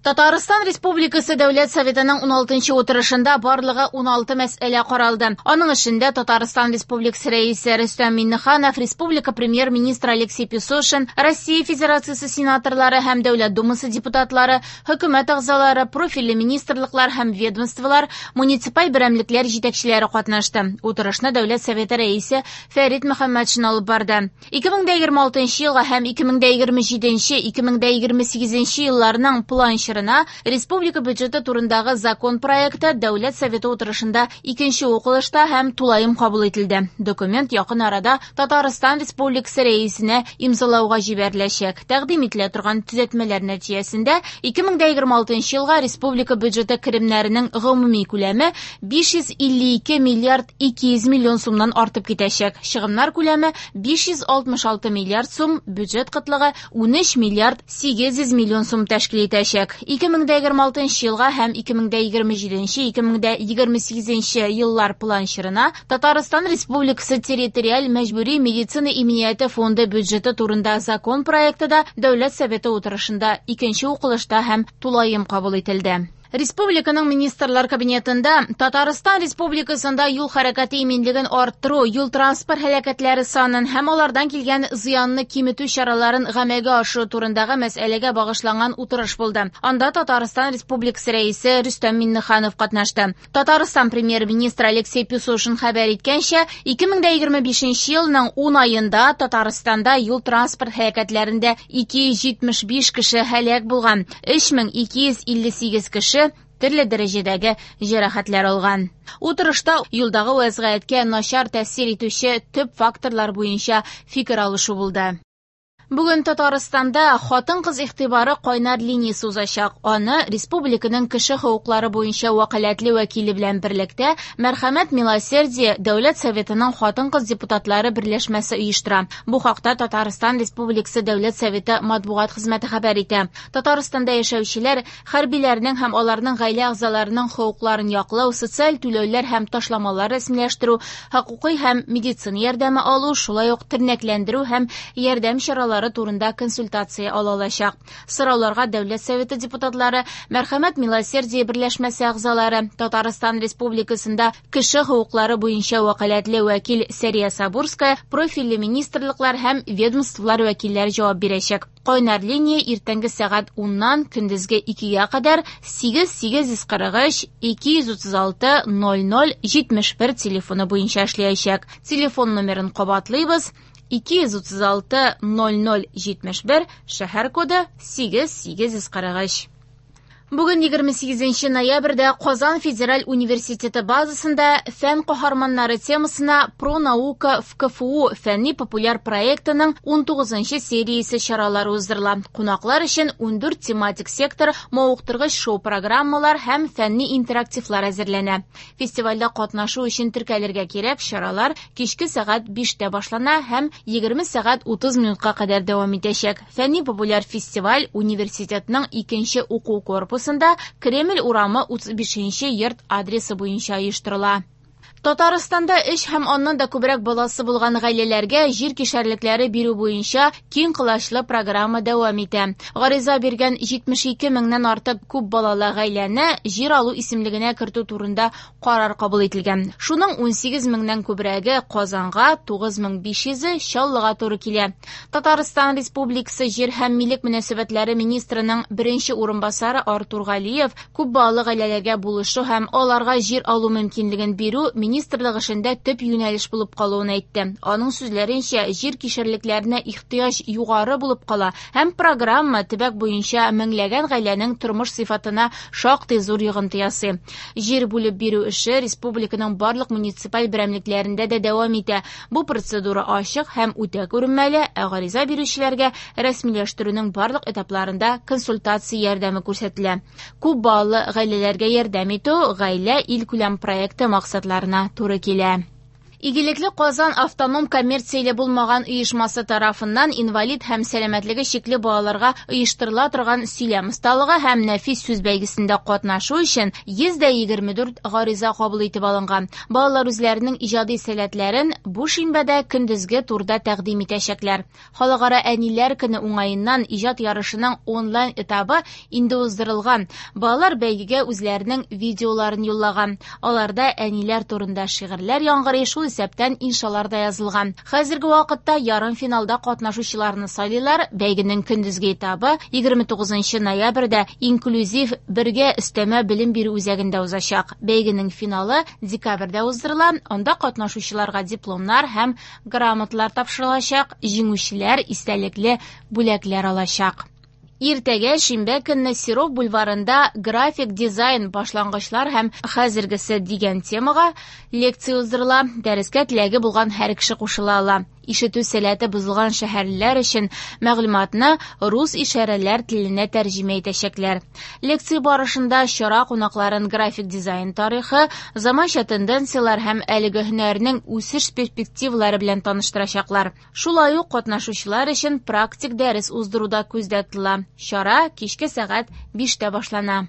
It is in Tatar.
Татарстан Республикасы Дәүләт Советының 16-нчы утырышында барлыгы 16 мәсьәлә каралды. Аның эшендә Татарстан Республикасы Рәисе Рөстәм Миңнеханов, республика премьер-министры Алексей Песошин, Россия Федерациясе сенаторлары һәм Дәүләт Думасы депутатлары, хөкүмәт әгъзалары, профильле министрлыклар һәм ведомстволар, муниципаль берәмлекләр җитәкчеләре катнашты. Утырышны Дәүләт Советы Рәисе Фәрит Мөхәммәтшин алып барды. 2026 елга һәм 2027-2028 елларның план чорына республика бюджеты турындагы закон проекты Дәүләт Советы утырышында икенче укылышта һәм тулаем кабул ителде. Документ якын арада Татарстан Республикасы Рәисенә имзалауга җибәреләчәк. Тәкъдим ителә торган төзәтмәләр нәтиҗәсендә 2026 елга республика бюджеты керемнәренең гомуми күләме 552 миллиард 200 миллион сумнан артып китәчәк. Чыгымнар күләме 566 миллиард сум, бюджет кытлыгы 13 миллиард 800 миллион сум тәшкил итәчәк. 2026 елга һәм 2027-2028 еллар план чорына Татарстан Республикасы территориаль мәҗбүри медицина иминияте фонды бюджеты турында закон проекты да Дәүләт Советы утырышында икенче укылышта һәм тулаем кабул ителде. Республиканың Министрлар Кабинетында Татарстан Республикасында юл хәрәкәте иминлеген арттыру, юл-транспорт һәлакәтләре санын һәм алардан килгән зыянны киметү чараларын гамәлгә ашыру турындагы мәсьәләгә багышланган утырыш булды. Анда Татарстан Республикасы Рәисе Рөстәм Миңнеханов катнашты. Татарстан Премьер-министры Алексей Песошин хәбәр иткәнчә, 2025 елның 10 аенда Татарстанда юл-транспорт һәлакәтләрендә 275 кеше һәлак булган, 3258 кеше төрле дәрәҗәдәге җәрәхәтләр алган. Утырышта юлдагы вәзгыятькә начар тәэсир итүче төп факторлар буенча фикер алышу булды. Бүген Татарстанда хатын-кыз игътибары кайнар линиясе узачак. Аны республиканың кеше хокуклары буенча вәкаләтле вәкиле белән берлектә Мәрхәмәт Милосердие Дәүләт Советының хатын-кыз депутатлары берләшмәсе оештыра. Бу хакта Татарстан Республикасы Дәүләт Советы матбугат хезмәте хәбәр итә. Татарстанда яшәүчеләр хәрбиләрнең һәм аларның гаилә әгъзаларының хокукларын яклау, социаль түләүләр һәм ташламалар рәсмиләштерү, хокукый һәм медицина ярдәме алу, шулай ук тернәкләндерү һәм ярдәм чаралары турында консультация ала алачак. Сорауларга Дәүләт Советы депутатлары, Мәрхәмәт Милосердие берләшмәсе әгъзалары, Татарстан Республикасында кеше хокуклары буенча вәкаләтле вәкил Сәрия Сабурская, профильле министрлыклар һәм ведомстволар вәкилләре җавап бирәчәк. Кайнар линия иртәнге сәгать 10-нан көндезге 2-гә кадәр 8 843 236 00 71 телефоны буенча эшләячәк. Телефон номерын кабатлыйбыз: 236 00 71, шәһәр коды 8 843. Бүген 28 ноябрьдә Казан федераль университеты базасында фән каһарманнары темасына «Про наука в КФУ» фәнни популяр проектының 19 сериясе чаралары уздырыла. Кунаклар өчен 14 тематик сектор, мавыктыргыч шоу-программалар һәм фәнни интерактивлар әзерләнә. Фестивальдә катнашу өчен теркәлергә кирәк. Чаралар кичке сәгать 5тә башлана һәм 20 сәгать 30 минутка кадәр дәвам итәчәк. Фәнни популяр фестиваль университетның икенче уку корпусында Кремль урамы 35 йорт адресы буенча оештырыла. Татарстанда өч һәм аннан да күбрәк баласы булган гаиләләргә җир кишәрлекләре бирү буенча киң колачлы программа дәвам итә. Гариза биргән 72 меңнән артык күп балалы гаиләне җир алу исемлегенә кертү турында карар кабул ителгән. Шуның 18 меңнән күбрәге Казанга, 9500-е Чаллыга туры килә. Татарстан Республикасы җир һәм милек мөнәсәбәтләре министрының беренче урынбасары Артур Галиев күп балалы гаиләләргә булышу һәм аларга җир алу мөмкинлеген бирү министрлык эшендә төп юнәлеш булып калуын әйтте. Аның сүзләренчә, җир кишәрлекләренә ихтыяҗ югары булып кала һәм программа төбәк буенча меңләгән гаиләнең тормыш сыйфатына шактый зур йогынты ясый. Җир бүлеп бирү эше республиканың барлык муниципаль берәмлекләрендә дә дәвам итә. Бу процедура ачык һәм үтә күренмәле, ә гариза бирүчеләргә рәсмиләштерүнең барлык этапларында консультация ярдәме күрсәтелә. Күп балалы гаиләләргә ярдәм итү Гаилә илкүләм проекты максатларына туры килә. Игелекле Казан автоном коммерцияле булмаган оешмасы тарафыннан инвалид һәм сәламәтлеге чикле балаларга оештырыла торган сөйләм осталыгы һәм нәфис сүз бәйгесендә катнашу өчен 124 гариза кабул итеп алынган. Балалар үзләренең иҗади сәләтләрен бу шимбәдә көндезге турда тәкъдим итәчәкләр. Халыкара әниләр көне уңаеннан иҗат ярышының онлайн этабы инде уздырылган. Балалар бәйгегә үзләренең видеоларын юллаган. Аларда әниләр турында шигырьләр яңгырый, шул исәптән иншалар да язылган. Хәзерге вакытта ярымфиналда катнашучыларны сайлыйлар. Бәйгенең көндезге этабы 29 ноябрьдә инклюзив бергә өстәмә белем бирү үзәгендә узачак. Бәйгенең финалы декабрьдә уздырыла. Анда катнашучыларга дипломнар һәм грамоталар тапшырылачак, җиңүчеләр истәлекле бүләкләр алачак. Иртәгә шимбә көнне Серов бульварында график дизайн башлангычлар һәм хәзергесе дигән темага лекция уздырыла. Дәрескә теләге булган һәр кеше кушыла ала. Ишетү сәләте бозылган шәһәрлеләр өчен мәгълүматны рус ишарәләр теленә тәрҗемә итәчәкләр. Лекция барышында чара кунакларын график дизайн тарихы, заманча тенденцияләр һәм әлеге һөнәрнең үсеш перспективалары белән таныштырачаклар. Шулай ук катнашучылар өчен практик дәрес уздыру да күздә тотыла. Чара кичке сәгать 5-тә башлана.